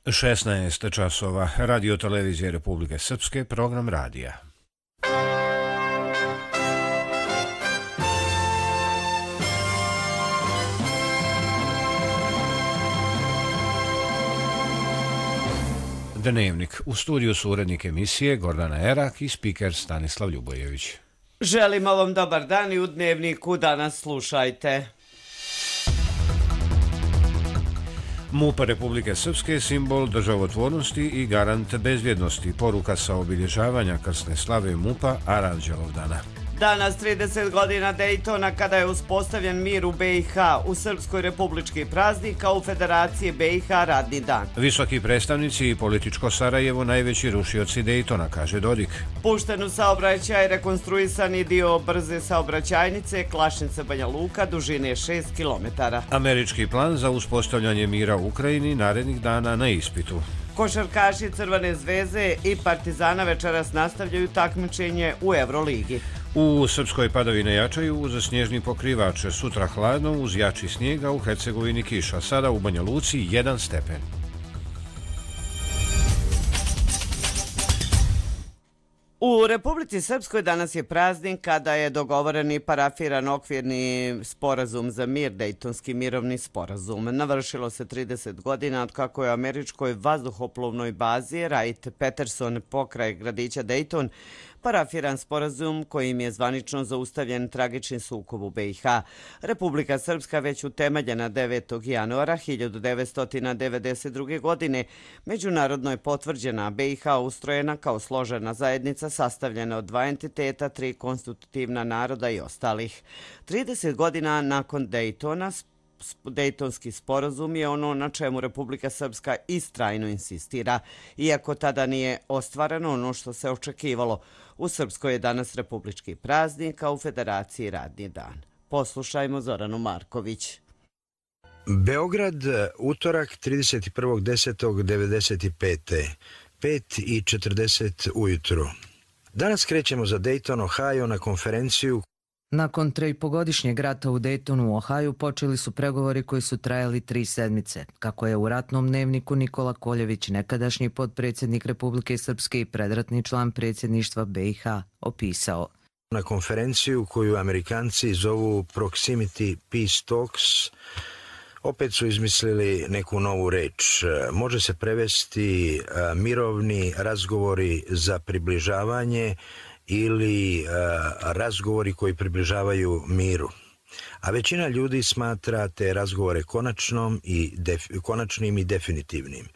16 časova, Radio televizije Republike Srpske, program radija. Dnevnik. U studiju su urednik emisije Gordana Erak i spiker Stanislav Ljubojević. Želimo vam dobar dan i u Dnevniku danas slušajte. MUP Republike Srpske je simbol državotvornosti i garant bezbjednosti. Poruka sa obilježavanja krsne slave MUP-a Aranđelovdana. Danas 30 godina Dejtona kada je uspostavljen mir u BiH, u Srpskoj republički praznik, a u Federaciji BiH radni dan. Visoki predstavnici i političko Sarajevo najveći rušioci Dejtona, kaže Dodik. Pušten u saobraćaj rekonstruisani dio brze saobraćajnice Klašnica-Banja Luka dužine 6 km. Američki plan za uspostavljanje mira u Ukrajini narednih dana na ispitu. Košarkaši Crvene zvezde i Partizana večeras nastavljaju takmičenje u Euroligi. U Srpskoj padavine jačaju uz snježni pokrivač, sutra hladno uz jači snijega, u Hercegovini kiša, sada u Banja Luci 1 stepen. U Republici Srpskoj danas je praznik kada je dogovoren i parafiran okvirni sporazum za mir, Dejtonski mirovni sporazum. Navršilo se 30 godina od kako je američkoj vazduhoplovnoj bazi Wright-Patterson pokraj gradića Dejton parafiran sporazum kojim je zvanično zaustavljen tragični sukob u BiH. Republika Srpska već utemeljena 9. januara 1992. godine međunarodno je potvrđena, BiH ustrojena kao složena zajednica sastavljena od 2 entiteta, 3 konstitutivna naroda i ostalih. 30 godina nakon Dejtona, Dejtonski sporazum je ono na čemu Republika Srpska istrajno insistira, iako tada nije ostvareno ono što se očekivalo. U Srpskoj je danas republički praznik, a u Federaciji radni dan. Poslušajmo Zoranu Marković. Beograd, utorak 31.10.95. 5:40 ujutru. Danas krećemo za Dayton, Ohio na konferenciju. Nakon 3,5-godišnjeg rata u Daytonu u Ohaju počeli su pregovori koji su trajali 3 sedmice, kako je u ratnom dnevniku Nikola Koljević, nekadašnji potpredsjednik Republike Srpske i predratni član predsjedništva BiH, opisao. Na konferenciju koju Amerikanci zovu Proximity Peace Talks, opet su izmislili neku novu reč. Može se prevesti mirovni razgovori za približavanje ili razgovori koji približavaju miru. A većina ljudi smatra te razgovore konačnim i definitivnim.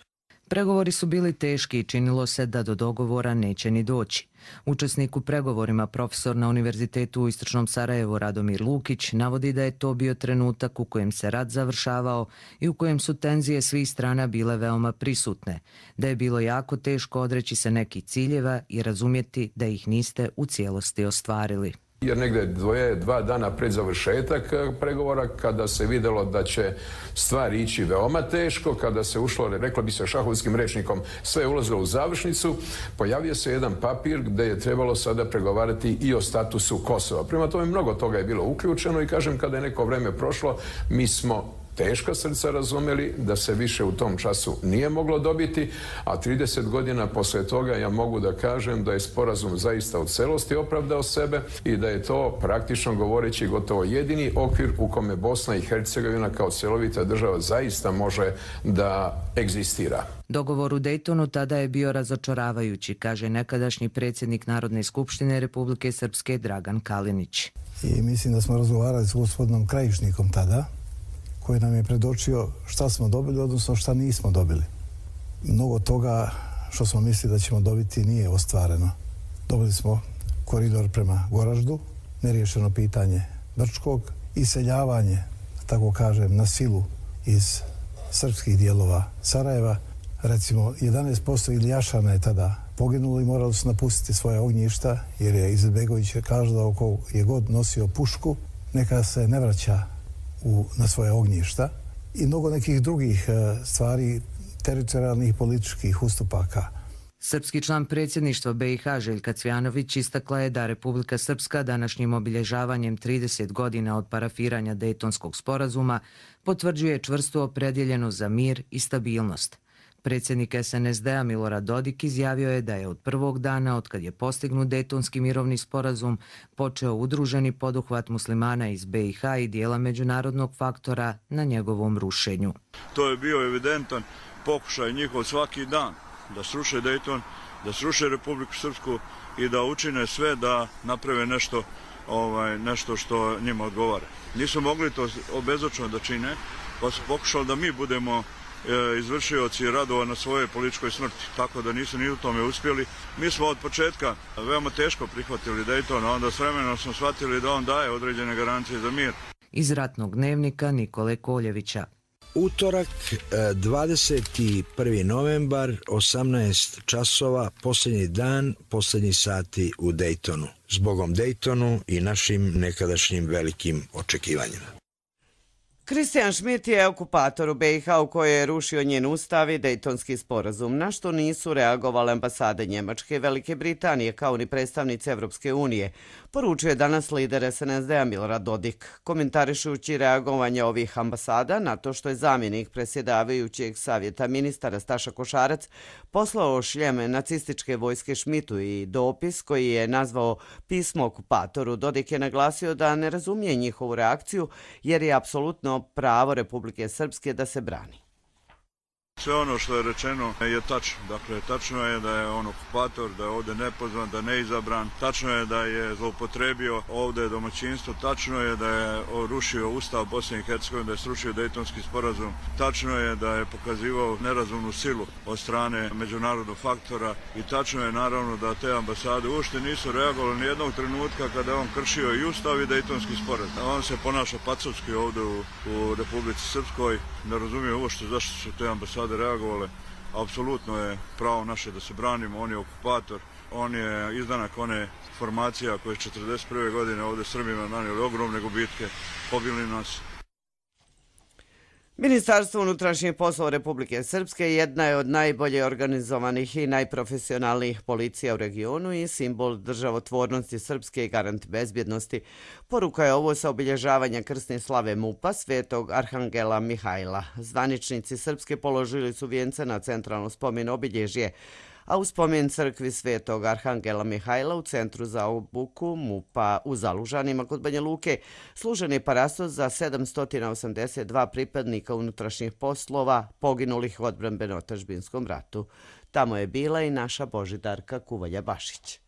Pregovori su bili teški i činilo se da do dogovora neće ni doći. Učesnik u pregovorima, profesor na Univerzitetu u Istočnom Sarajevu Radomir Lukić, navodi da je to bio trenutak u kojem se rat završavao i u kojem su tenzije svih strana bile veoma prisutne, da je bilo jako teško odreći se nekih ciljeva i razumjeti da ih niste u cijelosti ostvarili. Jer negdje 2 dana pred završetak pregovora, kada se vidjelo da će stvari ići veoma teško, kada se ušlo, reklo bi se šahovskim rečnikom, sve je ulazilo u završnicu, pojavio se jedan papir gdje je trebalo sada pregovarati i o statusu Kosova. Prema tome mnogo toga je bilo uključeno i kažem, kada je neko vrijeme prošlo, mi smo teška srca razumjeli da se više u tom času nije moglo dobiti, a 30 godina poslije toga ja mogu da kažem da je sporazum zaista u celosti opravdao sebe i da je to praktično govoreći gotovo jedini okvir u kome Bosna i Hercegovina kao cjelovita država zaista može da egzistira. Dogovor u Dejtonu tada je bio razočaravajući, kaže nekadašnji predsjednik Narodne skupštine Republike Srpske Dragan Kalinić. I mislim da smo razgovarali s gospodinom Krajišnikom tada, koji nam je predočio šta smo dobili, odnosno šta nismo dobili. Mnogo toga što smo mislili da ćemo dobiti nije ostvareno. Dobili smo koridor prema Goraždu, neriješeno pitanje Brčkog, iseljavanje, tako kažem, na silu iz srpskih dijelova Sarajeva. Recimo, 11% Iljašana je tada poginulo i morali su napustiti svoje ognjišta, jer je Izetbegović kazao ko je god nosio pušku, neka se ne vraća na svoje ognjišta i mnogo nekih drugih stvari, teritorijalnih političkih ustupaka. Srpski član predsjedništva BiH Željka Cvjanović istakla je da Republika Srpska današnjim obilježavanjem 30 godina od parafiranja Dejtonskog sporazuma potvrđuje čvrstu opredjeljenost za mir i stabilnost. Predsjednik SNSD-a Milorad Dodik izjavio je da je od prvog dana, otkad je postignut Dejtonski mirovni sporazum, počeo udruženi poduhvat muslimana iz BiH i dijela međunarodnog faktora na njegovom rušenju. To je bio evidentan pokušaj njihov svaki dan da sruše Dejton, da sruše Republiku Srpsku i da učine sve da naprave nešto što njima odgovara. Nisu mogli to bezočno da čine, pa su pokušali da mi budemo izvršioci radova na svojoj političkoj smrti, tako da nisu ni u tome uspjeli. Mi smo od početka veoma teško prihvatili Dejton, a onda s vremenom smo shvatili da on daje određene garancije za mir. Iz ratnog dnevnika Nikole Koljevića. Utorak, 21. novembar, 18 časova, posljednji dan, posljednji sati u Dejtonu. Zbogom Dejtonu i našim nekadašnjim velikim očekivanjima. Kristijan Šmit je okupator u BiH u kojoj je rušio njen ustav i Dejtonski sporazum, na što nisu reagovale ambasade Njemačke i Velike Britanije kao ni predstavnici Evropske unije, poručuje danas lider SNSD-a Milorad Dodik, komentarišući reagovanje ovih ambasada na to što je zamjenik predsjedavajućeg savjeta ministara Staša Košarac poslao šljeme nacističke vojske Šmitu i dopis koji je nazvao pismo okupatoru. Dodik je naglasio da ne razumije njihovu reakciju jer je apsolutno pravo Republike Srpske da se brani. Sve ono što je rečeno je tačno. Dakle, tačno je da je on okupator, da je ovdje nepozvan, da je neizabran. Tačno je da je zloupotrebio ovdje domaćinstvo. Tačno je da je rušio Ustav Bosne i Hercegovine, da je srušio Dejtonski sporazum. Tačno je da je pokazivao nerazumnu silu od strane međunarodnog faktora. I tačno je naravno da te ambasade uopšte nisu reagovali ni jednog trenutka kada je on kršio i Ustav i Dejtonski sporazum. On se ponaša pacovski ovdje u Republici Srpskoj. Ne razumije uopšte zašto su te ambasade reagovale. Apsolutno je pravo naše da se branimo, on je okupator, on je izdanak one formacija koje 1941. godine ovdje Srbima nanijeli ogromne gubitke, pobili nas. Ministarstvo unutrašnjih poslova Republike Srpske jedna je od najbolje organizovanih i najprofesionalnijih policija u regionu i simbol državotvornosti Srpske i garant bezbjednosti. Poruka je ovo sa obilježavanja krsne slave MUP-a Svetog Arhangela Mihajla. Zvaničnici Srpske položili su vijence na centralno spomen obilježje, a u spomen crkvi Svetog Arhangela Mihajla u centru za obuku MUP-a u Zalužanima kod Banja Luke služen je parastos za 782 pripadnika unutrašnjih poslova poginulih u odbrambeno-otadžbinskom ratu. Tamo je bila i naša Božidarka Kuvalja-Bašić.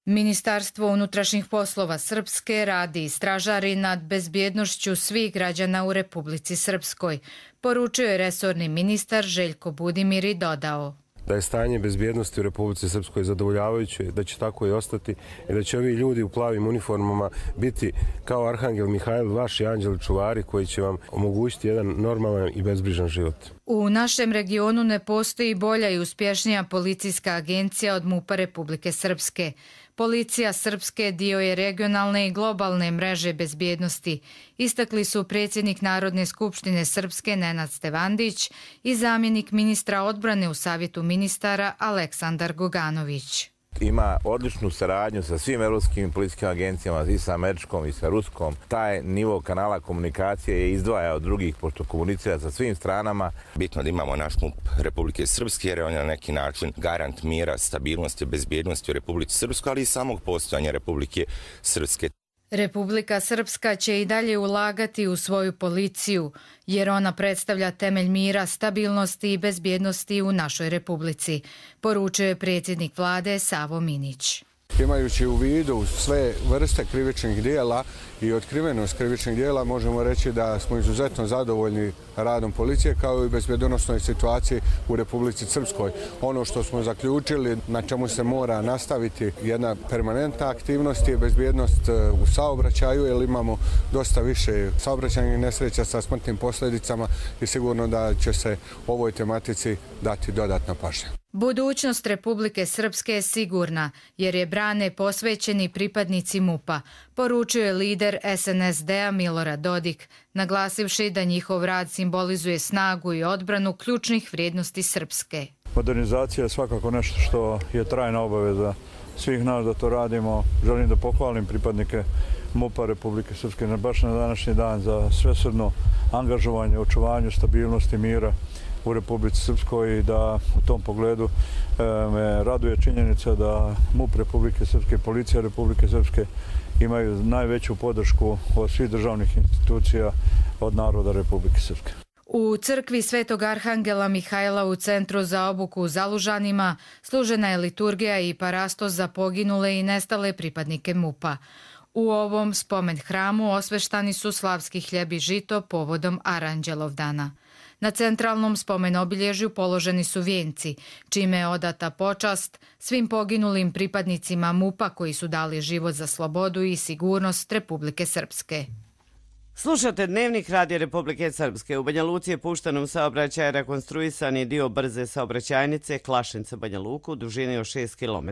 Ministarstvo unutrašnjih poslova Srpske radi i stražari nad bezbjednošću svih građana u Republici Srpskoj, poručio je resorni ministar Željko Budimir i dodao da je stanje bezbjednosti u Republici Srpskoj zadovoljavajuće, da će tako i ostati i da će ovi ljudi u plavim uniformama biti kao Arhangel Mihajl, vaši anđeli čuvari koji će vam omogućiti jedan normalan i bezbrižan život. U našem regionu ne postoji bolja i uspješnija policijska agencija od MUP-a Republike Srpske. Policija Srpske dio je regionalne i globalne mreže bezbjednosti, istakli su predsjednik Narodne skupštine Srpske Nenad Stevandić i zamjenik ministra odbrane u Savjetu ministara Aleksandar Goganović. Ima odličnu saradnju sa svim evropskim policijskim agencijama, i sa američkom i sa ruskom. Taj nivo kanala komunikacije je izdvaja od drugih, pošto komunicira sa svim stranama. Bitno da imamo naš MUP Republike Srpske, jer on je na neki način garant mira, stabilnosti, bezbjednosti u Republici Srpskoj, ali i samog postojanja Republike Srpske. Republika Srpska će i dalje ulagati u svoju policiju, jer ona predstavlja temelj mira, stabilnosti i bezbjednosti u našoj republici, poručuje je predsjednik vlade Savo Minić. Imajući u vidu sve vrste krivičnih dijela i otkrivenost krivičnih dijela, možemo reći da smo izuzetno zadovoljni radom policije kao i bezbjednosnoj situaciji u Republici Srpskoj. Ono što smo zaključili, na čemu se mora nastaviti jedna permanentna aktivnost je bezbjednost u saobraćaju, jer imamo dosta više saobraćajnih nesreća sa smrtnim posljedicama i sigurno da će se ovoj tematici dati dodatna pažnja. Budućnost Republike Srpske je sigurna, jer je brane posvećeni pripadnici MUP-a, poručio je lider SNSD-a Milorad Dodik, naglasivši da njihov rad simbolizuje snagu i odbranu ključnih vrijednosti Srpske. Modernizacija je svakako nešto što je trajna obaveza svih nas da to radimo. Želim da pohvalim pripadnike MUP-a Republike Srpske baš na današnji dan za svesrdno angažovanje, očuvanju stabilnosti, mira u Republici Srpskoj i da u tom pogledu me raduje činjenica da MUP Republike Srpske, Policija Republike Srpske imaju najveću podršku od svih državnih institucija od naroda Republike Srpske. U crkvi Svetog Arhangela Mihajla u Centru za obuku u Zalužanima služena je liturgija i parastos za poginule i nestale pripadnike MUP-a. U ovom spomen hramu osveštani su slavski hljeb i žito povodom Aranđelovdana. Na centralnom spomen obilježju položeni su vijenci, čime je odata počast svim poginulim pripadnicima MUP-a koji su dali život za slobodu i sigurnost Republike Srpske. Slušate Dnevnik Radio Republike Srpske. U Banja Luci je pušten u saobraćaj rekonstruisani dio brze saobraćajnice Klašinca-Banja Luku u dužini od 6 km.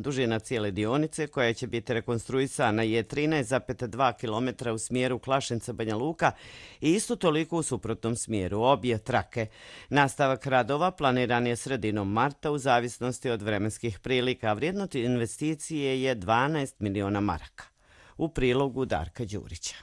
Dužina cijele dionice koja će biti rekonstruisana je 13,2 km u smjeru Klašinca-Banja Luka i isto toliko u suprotnom smjeru, obje trake. Nastavak radova planiran je sredinom marta u zavisnosti od vremenskih prilika. Vrijednost investicije je 12 miliona maraka. U prilogu Darka Đurića.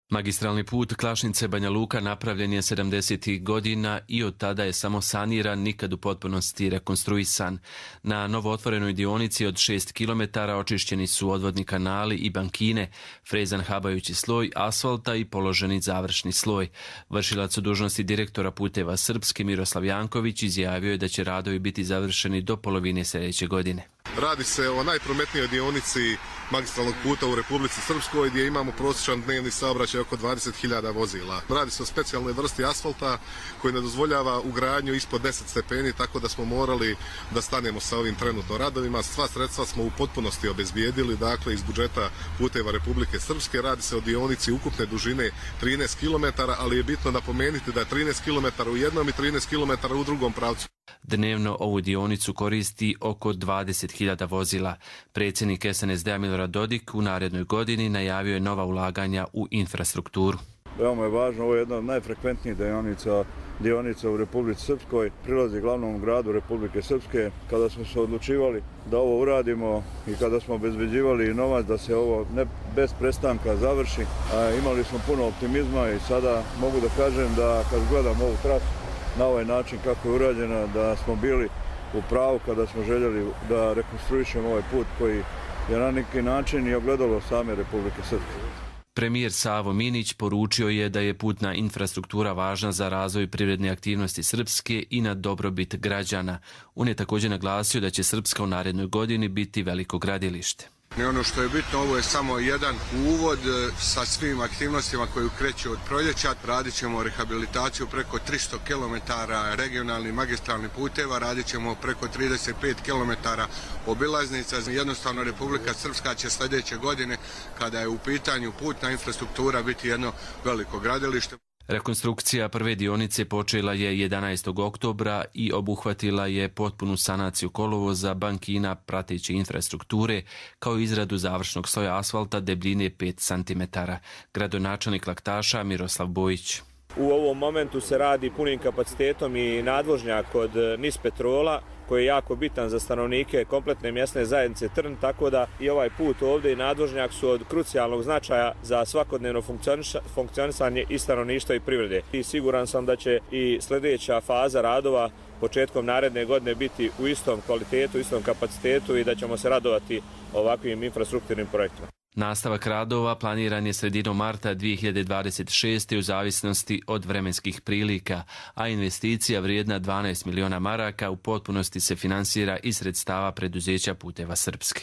Magistralni put Klašnice-Banja Luka napravljen je 70. godina i od tada je samo saniran, nikad u potpunosti rekonstruisan. Na novootvorenoj dionici od 6 km očišćeni su odvodni kanali i bankine, frezan habajući sloj asfalta i položeni završni sloj. Vršilac u dužnosti direktora Puteva Srpske Miroslav Janković izjavio je da će radovi biti završeni do polovine sljedeće godine. Radi se o najprometnijoj dionici magistralnog puta u Republici Srpskoj gdje imamo prosječan dnevni saobraćaj oko 20.000 vozila. Radi se o specijalnoj vrsti asfalta koji ne dozvoljava ugradnju ispod 10 stepeni, tako da smo morali da stanemo sa ovim trenutno radovima. Sva sredstva smo u potpunosti obezbijedili, dakle iz budžeta Puteva Republike Srpske. Radi se o dionici ukupne dužine 13 km, ali je bitno napomenuti da je 13 km u jednom i 13 km u drugom pravcu. Dnevno ovu dionicu koristi oko 20.000 vozila. Predsjednik SNSD-a Milorad Dodik u narednoj godini najavio je nova ulaganja u infrastrukturu. Veoma je važno, ovo je jedna od najfrekventnijih dionica u Republici Srpskoj, prilazi glavnom gradu Republike Srpske. Kada smo se odlučivali da ovo uradimo i kada smo obezbeđivali novac da se ovo ne bez prestanka završi, imali smo puno optimizma i sada mogu da kažem da kad gledam ovu trasu na ovaj način kako je urađena, da smo bili u pravu kada smo željeli da rekonstruišemo ovaj put koji je na neki način i ogledalo same Republike Srpske. Premijer Savo Minić poručio je da je putna infrastruktura važna za razvoj privredne aktivnosti Srpske i na dobrobit građana. On je također naglasio da će Srpska u narednoj godini biti veliko gradilište. I ono što je bitno, ovo je samo jedan uvod sa svim aktivnostima koje kreću od proljeća. Radit ćemo rehabilitaciju preko 300 km regionalnih magistralnih puteva, radit ćemo preko 35 km obilaznica. Jednostavno Republika Srpska će sljedeće godine, kada je u pitanju putna infrastruktura, biti jedno veliko gradilište. Rekonstrukcija prve dionice počela je 11. oktobra i obuhvatila je potpunu sanaciju kolovoza, bankina, prateće infrastrukture, kao i izradu završnog sloja asfalta debljine 5 cm. Gradonačelnik Laktaša Miroslav Bojić. U ovom momentu se radi punim kapacitetom i nadvožnjak kod Nis Petrola, koji je jako bitan za stanovnike kompletne mjesne zajednice Trn, tako da i ovaj put ovdje i nadvožnjak su od krucijalnog značaja za svakodnevno funkcionisanje i stanovništva i privrede. I siguran sam da će i sljedeća faza radova početkom naredne godine biti u istom kvalitetu, istom kapacitetu i da ćemo se radovati ovakvim infrastrukturnim projektima. Nastavak radova planiran je sredinom marta 2026. u zavisnosti od vremenskih prilika, a investicija vrijedna 12 miliona maraka u potpunosti se finansira iz sredstava preduzeća Puteva Srpske.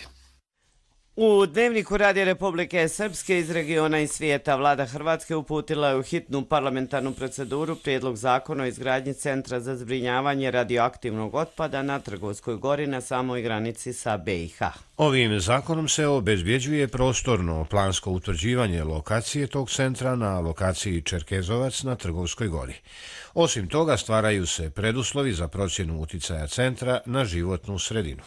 U Dnevniku Radija Republike Srpske iz regiona i svijeta vlada Hrvatske uputila je u hitnu parlamentarnu proceduru prijedlog zakona o izgradnji centra za zbrinjavanje radioaktivnog otpada na Trgovskoj gori na samoj granici sa BiH. Ovim zakonom se obezbjeđuje prostorno plansko utvrđivanje lokacije tog centra na lokaciji Čerkezovac na Trgovskoj gori. Osim toga stvaraju se preduslovi za procjenu uticaja centra na životnu sredinu.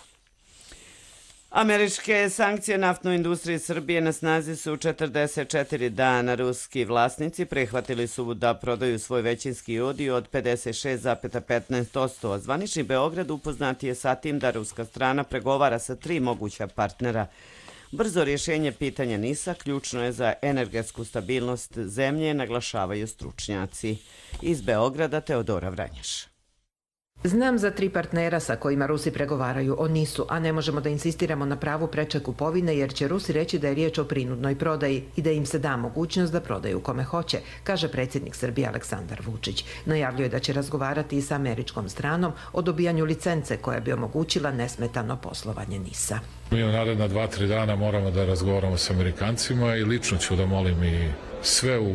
Američke sankcije naftnoj industriji Srbije na snazi su 44 dana. Ruski vlasnici prihvatili su da prodaju svoj većinski udio od 56,15%. Zvanični Beograd upoznat je sa tim da ruska strana pregovara sa 3 moguća partnera. Brzo rješenje pitanja NIS-a ključno je za energetsku stabilnost zemlje, naglašavaju stručnjaci. Iz Beograda Teodora Vranješ. Znam za 3 partnera sa kojima Rusi pregovaraju o NIS-u, a ne možemo da insistiramo na pravu preče kupovine jer će Rusi reći da je riječ o prinudnoj prodaji i da im se da mogućnost da prodaju kome hoće, kaže predsjednik Srbije Aleksandar Vučić. Najavljuje da će razgovarati i sa američkom stranom o dobijanju licence koja bi omogućila nesmetano poslovanje NIS-a. Mi u naredna 2-3 dana moramo da razgovaramo s Amerikancima i lično ću da molim i sve u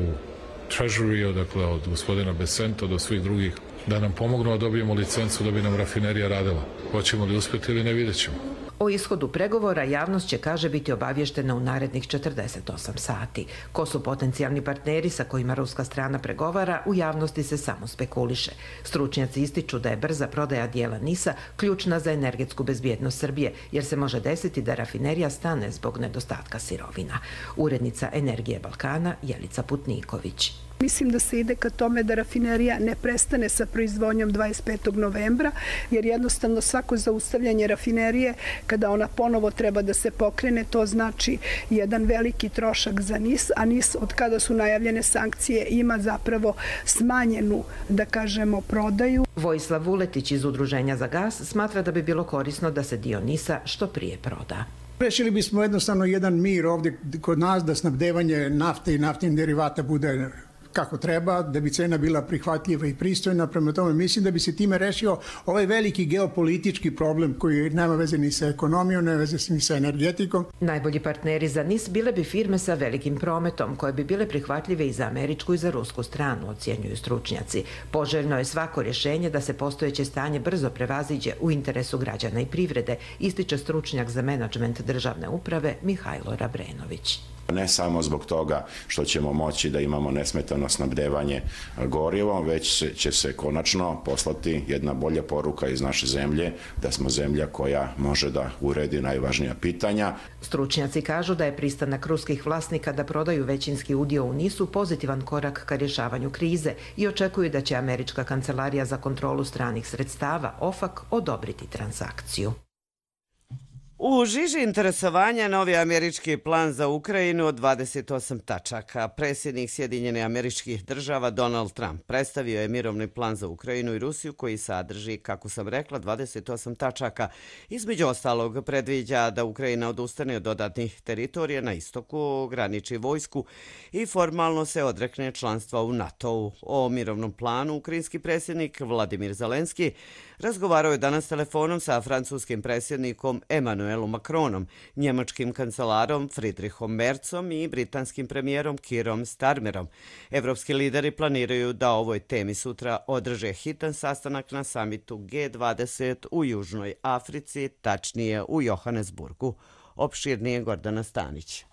Treasury, dakle od gospodina Besento do svih drugih, da nam pomognu da dobijemo licencu da bi nam rafinerija radila. Hoćemo li uspjeti ili ne, vidjet ćemo. O ishodu pregovora javnost će, kaže, biti obavještena u narednih 48 sati. Ko su potencijalni partneri sa kojima ruska strana pregovara, u javnosti se samo spekuliše. Stručnjaci ističu da je brza prodaja dijela NIS-a ključna za energetsku bezbjednost Srbije, jer se može desiti da rafinerija stane zbog nedostatka sirovina. Urednica Energije Balkana Jelica Putniković. Mislim da se ide ka tome da rafinerija ne prestane sa proizvodnjom 25. novembra, jer jednostavno svako zaustavljanje rafinerije, kada ona ponovo treba da se pokrene, to znači jedan veliki trošak za NIS, a NIS od kada su najavljene sankcije ima zapravo smanjenu, da kažemo, prodaju. Vojislav Vuletić iz Udruženja za gas smatra da bi bilo korisno da se dio NIS-a što prije proda. Rešili bismo jednostavno jedan mir ovdje kod nas, da snabdevanje nafte i naftnih derivata bude kako treba, da bi cena bila prihvatljiva i pristojna. Prema tome, mislim da bi se time rešio ovaj veliki geopolitički problem koji nema veze ni sa ekonomijom, nema veze ni sa energetikom. Najbolji partneri za NIS bile bi firme sa velikim prometom, koje bi bile prihvatljive i za američku i za rusku stranu, ocjenjuju stručnjaci. Poželjno je svako rješenje da se postojeće stanje brzo prevaziđe u interesu građana i privrede, ističe stručnjak za menadžment državne uprave Mihajlo Rabrenović. Ne samo zbog toga što ćemo moći da imamo nesmetano snabdevanje gorivom, već će se konačno poslati jedna bolja poruka iz naše zemlje, da smo zemlja koja može da uredi najvažnija pitanja. Stručnjaci kažu da je pristanak ruskih vlasnika da prodaju većinski udio u NIS-u pozitivan korak ka rješavanju krize i očekuju da će Američka kancelarija za kontrolu stranih sredstava, OFAC, odobriti transakciju. U žiži interesovanja novi američki plan za Ukrajinu od 28 tačaka. Predsjednik Sjedinjenih Američkih Država Donald Trump predstavio je mirovni plan za Ukrajinu i Rusiju koji sadrži, kako sam rekla, 28 tačaka. Između ostalog predviđa da Ukrajina odustane od dodatnih teritorija na istoku, ograniči vojsku i formalno se odrekne članstva u NATO-u. O mirovnom planu ukrajinski predsjednik Vladimir Zelenski razgovarao je danas telefonom sa francuskim predsjednikom Emmanuelom Macronom, njemačkim kancelarom Friedrichom Merzom i britanskim premijerom Kierom Starmerom. Evropski lideri planiraju da o ovoj temi sutra održe hitan sastanak na samitu G20 u Južnoj Africi, tačnije u Johannesburgu. Opširnije Gordana Stanić.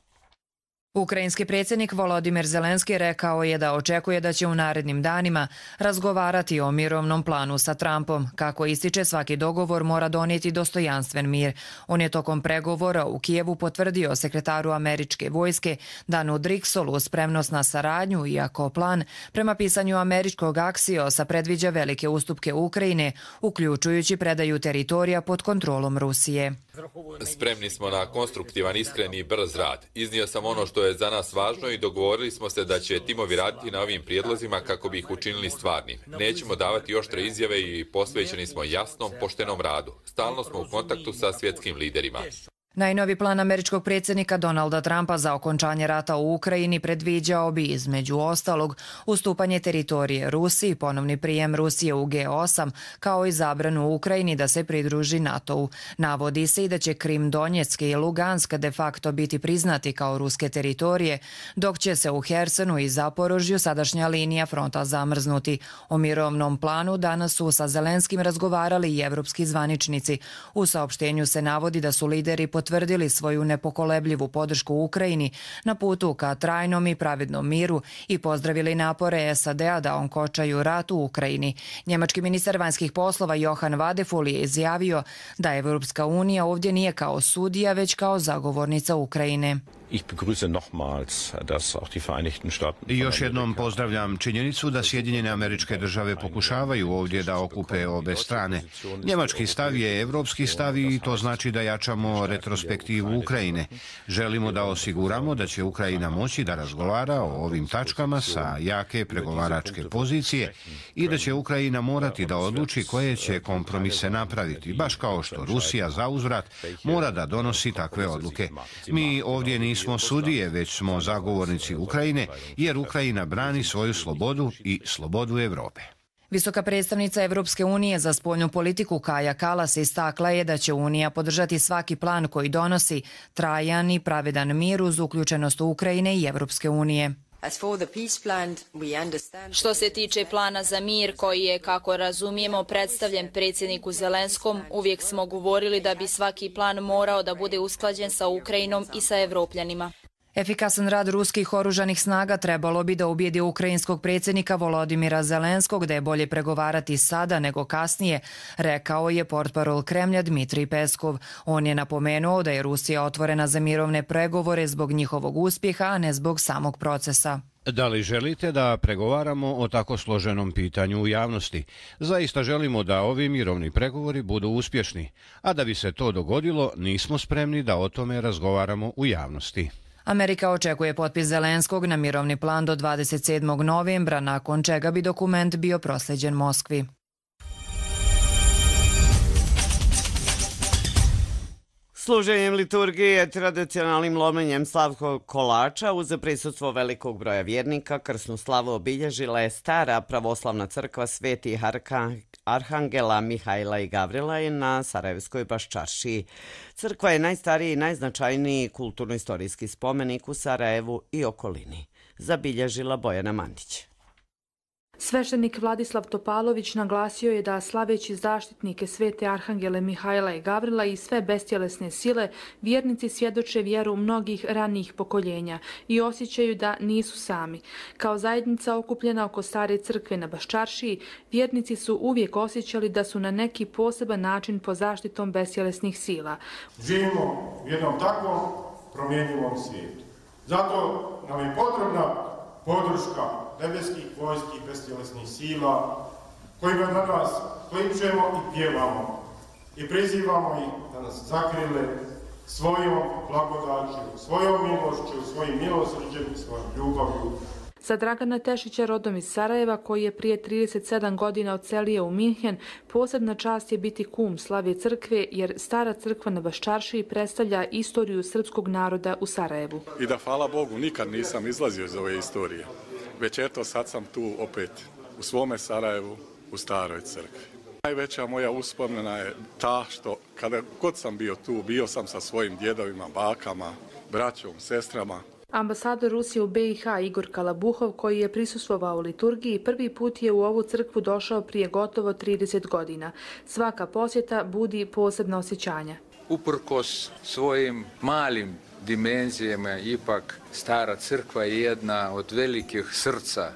Ukrajinski predsjednik Volodimir Zelenski rekao je da očekuje da će u narednim danima razgovarati o mirovnom planu sa Trumpom. Kako ističe, svaki dogovor mora donijeti dostojanstven mir. On je tokom pregovora u Kijevu potvrdio sekretaru američke vojske Danu Driksolu spremnost na saradnju, iako plan prema pisanju američkog Axiosa predviđa velike ustupke Ukrajine, uključujući predaju teritorija pod kontrolom Rusije. Spremni smo na konstruktivan, iskren i brz rad. Iznio sam ono što je za nas važno i dogovorili smo se da će timovi raditi na ovim prijedlozima kako bi ih učinili stvarnim. Nećemo davati oštre izjave i posvećeni smo jasnom, poštenom radu. Stalno smo u kontaktu sa svjetskim liderima. Najnovi plan američkog predsjednika Donalda Trumpa za okončanje rata u Ukrajini predviđao bi, između ostalog, ustupanje teritorije Rusiji, ponovni prijem Rusije u G8, kao i zabranu Ukrajini da se pridruži NATO-u. Navodi se i da će Krim, Donjeck i Lugansk de facto biti priznati kao ruske teritorije, dok će se u Hersonu i Zaporožju sadašnja linija fronta zamrznuti. O mirovnom planu danas su sa Zelenskim razgovarali i evropski zvaničnici. U saopštenju se navodi da su lideri potvrdili svoju nepokolebljivu podršku Ukrajini na putu ka trajnom i pravednom miru i pozdravili napore SAD-a da onkočaju rat u Ukrajini. Njemački ministar vanjskih poslova Johan Vadeful je izjavio da Evropska unija ovdje nije kao sudija, već kao zagovornica Ukrajine. Još jednom pozdravljam činjenicu da Sjedinjene Američke Države pokušavaju ovdje da okupe obe strane. Njemački stav je evropski stav i to znači da jačamo retrospektivu Ukrajine. Želimo da osiguramo da će Ukrajina moći da razgovara o ovim tačkama sa jake pregovaračke pozicije i da će Ukrajina morati da odluči koje će kompromise napraviti, baš kao što Rusija zauzvrat mora da donosi takve odluke. Mi ovdje nismo sudije, već smo zagovornici Ukrajine, jer Ukrajina brani svoju slobodu i slobodu Evrope. Visoka predstavnica Evropske unije za spoljnu politiku Kaja Kallas istakla je da će Unija podržati svaki plan koji donosi trajan i pravedan mir uz uključenost Ukrajine i Evropske unije. Što se tiče plana za mir koji je, kako razumijemo, predstavljen predsjedniku Zelenskom, uvijek smo govorili da bi svaki plan morao da bude usklađen sa Ukrajinom i sa Evropljanima. Efikasan rad ruskih oružanih snaga trebalo bi da ubijedi ukrajinskog predsjednika Volodimira Zelenskog da je bolje pregovarati sada nego kasnije, rekao je portparol Kremlja Dmitrij Peskov. On je napomenuo da je Rusija otvorena za mirovne pregovore zbog njihovog uspjeha, a ne zbog samog procesa. Da li želite da pregovaramo o tako složenom pitanju u javnosti? Zaista želimo da ovi mirovni pregovori budu uspješni, a da bi se to dogodilo, nismo spremni da o tome razgovaramo u javnosti. Amerika očekuje potpis Zelenskog na mirovni plan do 27. novembra, nakon čega bi dokument bio proslijeđen Moskvi. Služenjem liturgije tradicionalnim lomljenjem slavskog kolača uz prisustvo velikog broja vjernika krsnu slavu obilježila je stara pravoslavna crkva Svetih Arhangela Mihajla i Gavrila na Sarajevskoj Baščaršiji. Crkva je najstariji i najznačajniji kulturno-istorijski spomenik u Sarajevu i okolini. Zabilježila Bojana Mandić. Sveštenik Vladislav Topalović naglasio je da slaveći zaštitnike Svete Arhangele Mihajla i Gavrila i sve bestjelesne sile, vjernici svjedoče vjeru mnogih ranijih pokoljenja i osjećaju da nisu sami. Kao zajednica okupljena oko stare crkve na Baščaršiji, vjernici su uvijek osjećali da su na neki poseban način pod zaštitom bestjelesnih sila. Živimo u jednom takvom promjenjivom svijetu. Zato nam je potrebna podrška nebeskih vojskih bestjelesnih sila, kojima danas kličemo i pjevamo i prizivamo ih da nas zakrile svojom blagodaću, svojom milošću, svojim milosrđem i svojom ljubavlju. Za Dragana Tešića, rodom iz Sarajeva, koji je prije 37 godina odselio u Minhen, posebna čast je biti kum slave crkve, jer stara crkva na Baščaršiji predstavlja istoriju srpskog naroda u Sarajevu. I da, hvala Bogu, nikad nisam izlazio iz ove istorije. Već eto, sad sam tu opet u svome Sarajevu, u staroj crkvi. Najveća moja uspomena je ta što kada god sam bio tu, bio sam sa svojim djedovima, bakama, braćom, sestrama. Ambasador Rusije u BiH Igor Kalabuhov, koji je prisustvovao liturgiji, prvi put je u ovu crkvu došao prije gotovo 30 godina. Svaka posjeta budi posebna osjećanja. Uprkos svojim malim dimenzijama, ipak stara crkva je jedna od velikih srca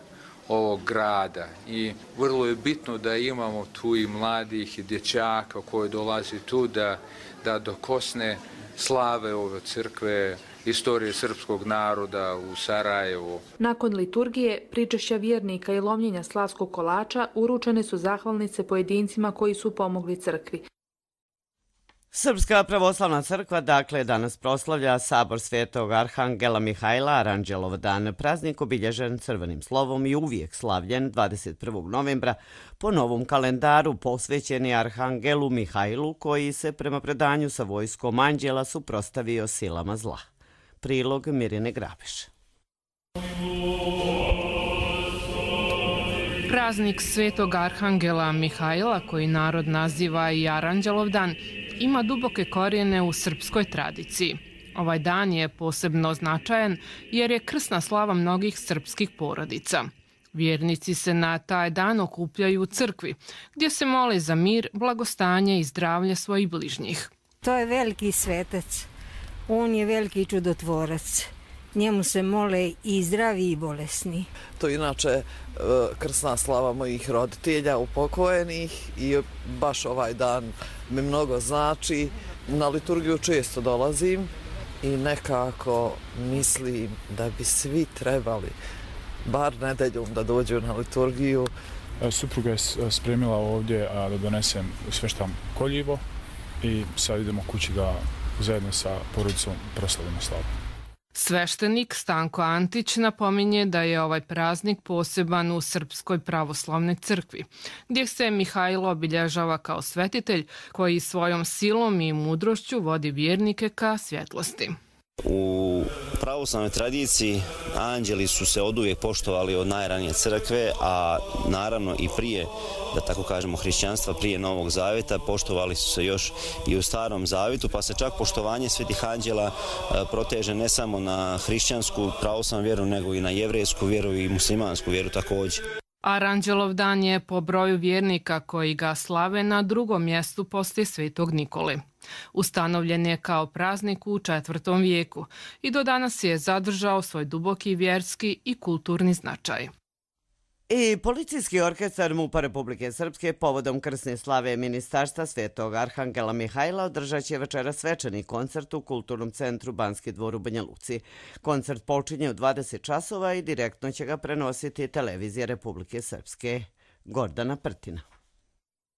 ovog grada i vrlo je bitno da imamo tu i mladih i dječaka koji dolazi tu da dokosne slave ove crkve, istorije srpskog naroda u Sarajevu. Nakon liturgije, pričešća vjernika i lomljenja slavskog kolača uručene su zahvalnice pojedincima koji su pomogli crkvi. Srpska pravoslavna crkva dakle danas proslavlja sabor Svetog Arhangela Mihajla, Aranđelov dan, praznik obilježen crvenim slovom i uvijek slavljen 21. novembra po novom kalendaru posvećeni Arhangelu Mihajlu, koji se prema predanju sa vojskom anđela suprotstavio silama zla. Prilog Mirjane Grabeš. Praznik Svetog Arhangela Mihajla, koji narod naziva i Aranđelov dan, ima duboke korijene u srpskoj tradiciji. Ovaj dan je posebno značajan jer je krsna slava mnogih srpskih porodica. Vjernici se na taj dan okupljaju u crkvi, gdje se mole za mir, blagostanje i zdravlje svojih bližnjih. To je veliki svetac. On je veliki čudotvorac. Njemu se mole i zdravi i bolesni. To je inače krsna slava mojih roditelja upokojenih i baš ovaj dan mi mnogo znači. Na liturgiju često dolazim i nekako mislim da bi svi trebali bar nedeljom da dođu na liturgiju. Supruga je spremila ovdje da donesem sveštan koljivo i sad idemo kući da zajedno sa porodicom proslavimo slavu. Sveštenik Stanko Antić napominje da je ovaj praznik poseban u Srpskoj pravoslavnoj crkvi, gdje se Mihajlo obilježava kao svetitelj koji svojom silom i mudrošću vodi vjernike ka svjetlosti. U pravoslavnoj tradiciji anđeli su se oduvijek poštovali od najranije crkve, a naravno i prije, da tako kažemo, hrišćanstva, prije Novog Zaveta, poštovali su se još i u Starom Zavetu, pa se čak poštovanje svetih anđela proteže ne samo na hrišćansku pravoslavnu vjeru, nego i na jevrejsku vjeru i muslimansku vjeru također. Aranđelov dan je po broju vjernika koji ga slave na drugom mjestu poslije Svetog Nikole. Ustanovljen je kao praznik u 4. vijeku i do danas je zadržao svoj duboki vjerski i kulturni značaj. I policijski orkestar MUP-a Republike Srpske povodom krsne slave Ministarstva Svetog Arhangela Mihajla održat će večeras svečani koncert u Kulturnom centru Banski dvor u Banja Luci. Koncert počinje u 20 časova i direktno će ga prenositi televizija Republike Srpske. Gordana Prtina.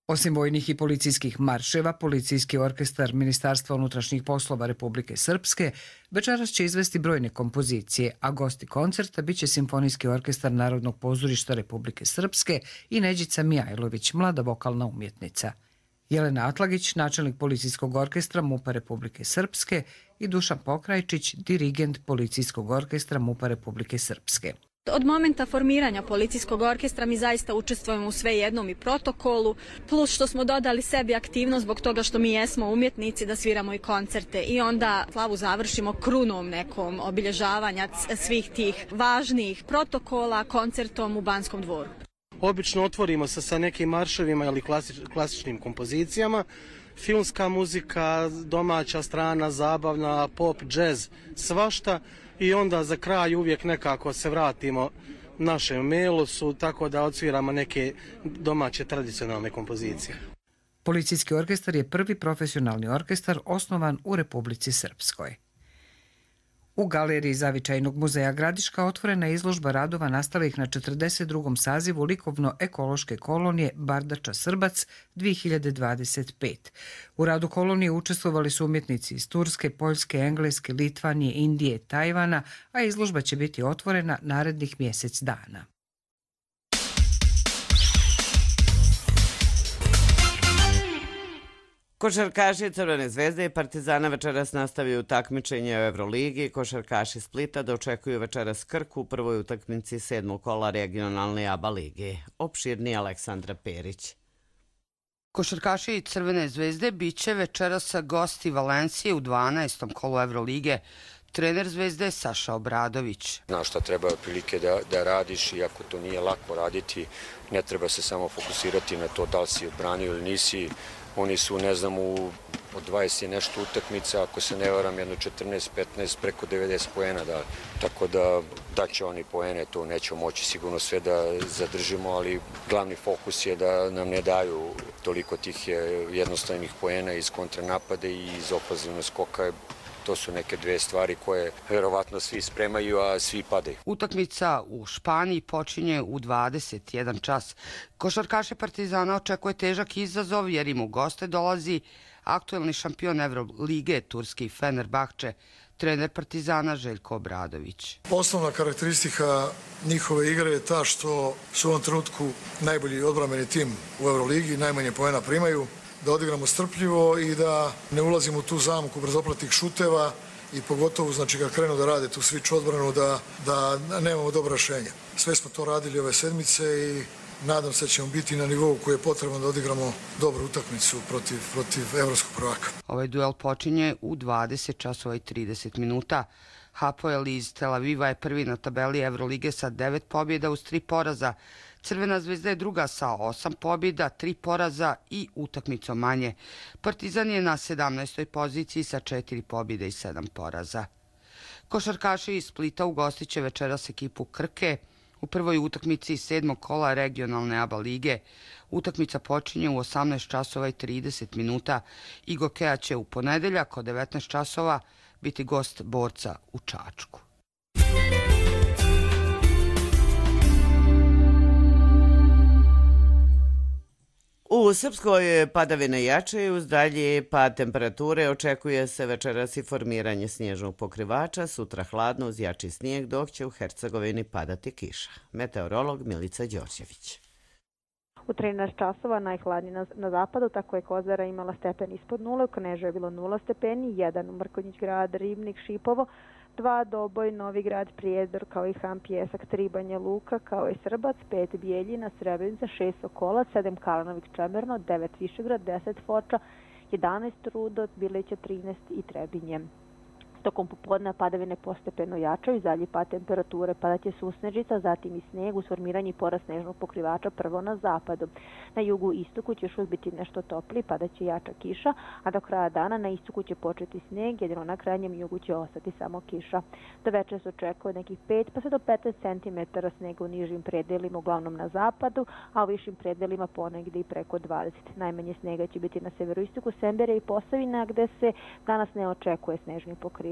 Osim vojnih i policijskih marševa, policijski orkestar Ministarstva unutrašnjih poslova Republike Srpske večeras će izvesti brojne kompozicije, a gosti koncerta biće Simfonijski orkestar Narodnog pozorišta Republike Srpske i Neđica Mijajlović, mlada vokalna umjetnica. Jelena Atlagić, načelnik policijskog orkestra MUP-a Republike Srpske i Dušan Pokrajčić, dirigent policijskog orkestra MUP-a Republike Srpske. Od momenta formiranja policijskog orkestra mi zaista učestvujemo u svejednom i protokolu, plus što smo dodali sebi aktivnost zbog toga što mi jesmo umjetnici da sviramo i koncerte i onda slavu završimo krunom nekom obilježavanja svih tih važnih protokola koncertom u Banskom dvoru. Obično otvorimo se sa nekim marševima ili klasičnim kompozicijama, filmska muzika, domaća strana, zabavna, pop, džez, svašta. I onda za kraj uvijek nekako se vratimo našem melosu, tako da odsviramo neke domaće tradicionalne kompozicije. Policijski orkestar je prvi profesionalni orkestar osnovan u Republici Srpskoj. U galeriji Zavičajnog muzeja Gradiška otvorena je izložba radova nastalih na 42. sazivu likovno-ekološke kolonije Bardača Srbac 2025. U radu kolonije učestvovali su umjetnici iz Turske, Poljske, Engleske, Litvanije, Indije, Tajvana, a izložba će biti otvorena narednih mjesec dana. Košarkaši Crvene zvezde i Partizana večeras nastavljaju takmičenje u Euroligi. Košarkaši Splita dočekuju večeras Krku u prvoj utakmici 7. kola regionalne ABA lige. Opširni Aleksandra Perić. Košarkaši Crvene zvezde biće večeras gosti Valencije u 12. kolu Evrolige. Trener Zvezde Saša Obradović. Znaš šta treba prilike da radiš, iako to nije lako raditi, ne treba se samo fokusirati na to da li si odbranio ili nisi. Oni su, ne znam, od 20 nešto utakmica, ako se ne varam, jedno 14-15, preko 90 poena. Tako da daće oni poene, to nećemo moći sigurno sve da zadržimo, ali glavni fokus je da nam ne daju toliko tih jednostavnih poena iz kontranapade i iz ofenzivnog skoka. To su neke dve stvari koje verovatno svi spremaju, a svi padaju. Utakmica u Španiji počinje u 21 čas. Košarkaše Partizana očekuje težak izazov jer im u goste dolazi aktuelni šampion Evrolige, turski Fenerbahče, trener Partizana Željko Obradović. Osnovna karakteristika njihove igre je ta što su u ovom trenutku najbolji odbrambeni tim u Evroligi, najmanje poena primaju, da odigramo strpljivo i da ne ulazimo u tu zamku brzoplatih šuteva i pogotovo, znači, kad krenu da rade tu switch odbranu, da nemamo dobro rješenje. Sve smo to radili ove sedmice i nadam se da ćemo biti na nivou koji je potrebno da odigramo dobru utakmicu protiv evropskog prvaka. Ovaj duel počinje u 20 časova i 30 minuta. Hapoel iz Tel Aviva je prvi na tabeli Evrolige sa 9 pobjeda uz 3 poraza. Crvena zvezda je druga sa 8 pobjeda, 3 poraza i utakmicom manje. Partizan je na 17. poziciji sa 4 pobjede i 7 poraza. Košarkaši iz Splita ugostiće večeras ekipu Krke u prvoj utakmici 7. kola regionalne ABA lige. Utakmica počinje u 18 časova i 30 minuta. Igokea će u ponedeljak od 19 časova biti gost borca u Čačku. U Srpskoj padavine jačaju, uz dalji pad temperature očekuje se večeras i formiranje snježnog pokrivača, sutra hladno uz jači snijeg, dok će u Hercegovini padati kiša. Meteorolog Milica Đorđević. U 13 časova najhladnije na zapadu, tako je Kozara imala stepen ispod nule, u Knežu je bilo 0 stepeni, 1 u Mrkonjić grad, Ribnik, Šipovo, 2 Doboj, Novi grad, Prijedor, kao i Han Pjesak, 3 Banja Luka, kao i Srbac, 5 Bijeljina, Srebrenica, 6 Sokolac, 7 Kalanović, Čemerno, 9 Višegrad, 10 Foča, 11 Rudo, Bileća, 13 i Trebinje. Tokom popodne padavine postepeno jačaju, dalji pad temperature, padaće susnežica, zatim i snijeg, uz formiranje i porast snežnog pokrivača prvo na zapadu. Na jugu i istoku će još uvijek biti nešto topliji, padaće jača kiša, a do kraja dana na istoku će početi snijeg, jedino na krajnjem jugu će ostati samo kiša. Do večera se očekuje nekih 5 pa sve do 15 cm snijega u nižim predelima, uglavnom na zapadu, a u višim predelima ponegdje i preko 20. Najmanje snijega će biti na severoistoku Sembere i Posavina, gde se danas ne očekuje snežni pokrivač.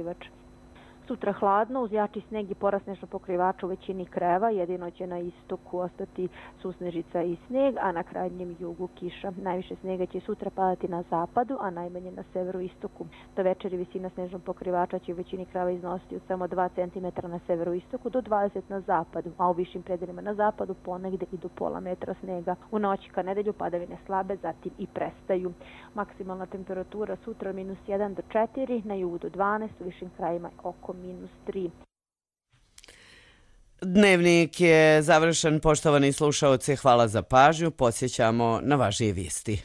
Sutra hladno, uz jači sneg i porast snežnog pokrivača u većini krajeva, jedino će na istoku ostati susnežica i sneg, a na krajnjem jugu kiša. Najviše snega će sutra padati na zapadu, a najmanje na severoistoku. Do večeri visina snežnog pokrivača će u većini krajeva iznositi od samo 2 cm na severoistoku do 20 na zapadu, a u višim predelima na zapadu ponegde i do pola metra snega. U noći ka nedelju padavine slabe, zatim i prestaju. Maksimalna temperatura sutra -1 do 4, na jugu do 12, u višim krajevima oko -3. Dnevnik je završen, poštovani slušaoci, hvala za pažnju, podsjećamo na važnije vijesti.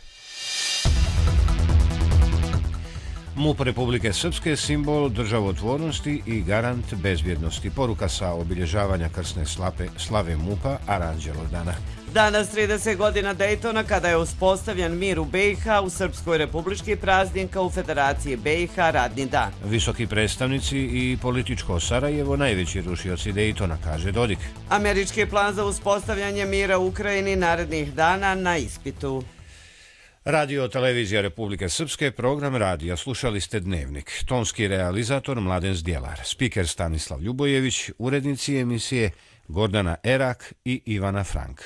MUP Republike Srpske simbol državotvornosti i garant bezbjednosti. Poruka sa obilježavanja krsne slave MUP-a Aranđelovdana. Danas 30 godina Dejtona, kada je uspostavljen mir u BiH, u Srpskoj republički praznik, a u Federaciji BiH radni dan. Visoki predstavnici i političko Sarajevo najveći rušioci Dejtona, kaže Dodik. Američki plan za uspostavljanje mira u Ukrajini narednih dana na ispitu. Radio Televizija Republike Srpske, program radija. Slušali ste Dnevnik. Tonski realizator Mladen Zdjelar, spiker Stanislav Ljubojević, urednici emisije Gordana Erak i Ivana Frank.